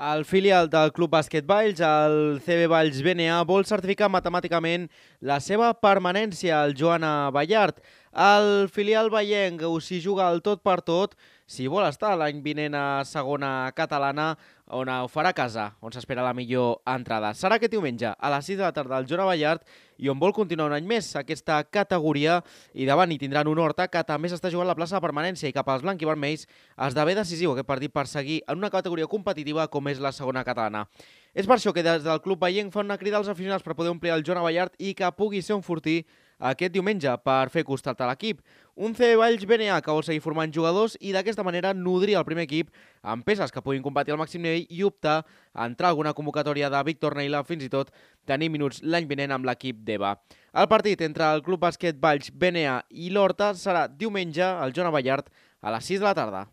El filial del Club Bàsquet Valls, el CB Valls BNA, vol certificar matemàticament la seva permanència al Joana Ballart. El filial vallenc s'hi juga el tot per tot si vol estar l'any vinent a segona catalana, on ho farà a casa, on s'espera la millor entrada. Serà aquest diumenge a les 6 de la tarda al Joana Ballart i on vol continuar un any més aquesta categoria, i davant hi tindran un Horta que també s'està jugant la plaça de permanència, i cap als blanc i vermells esdevé decisiu aquest partit per seguir en una categoria competitiva com és la segona catalana. És per això que des del Club Vallenc fan una crida als aficionats per poder omplir el Joana Ballart i que pugui ser un fortí aquest diumenge per fer costat a l'equip. Un CB Valls BNA que vol seguir formant jugadors i d'aquesta manera nodrir el primer equip amb peces que puguin competir al màxim nivell i optar a entrar a alguna convocatòria de Víctor Neila, fins i tot tenir minuts l'any vinent amb l'equip d'EVA. El partit entre el Club Bàsquet Valls BNA i l'Horta serà diumenge al Joana Ballart a les 6 de la tarda.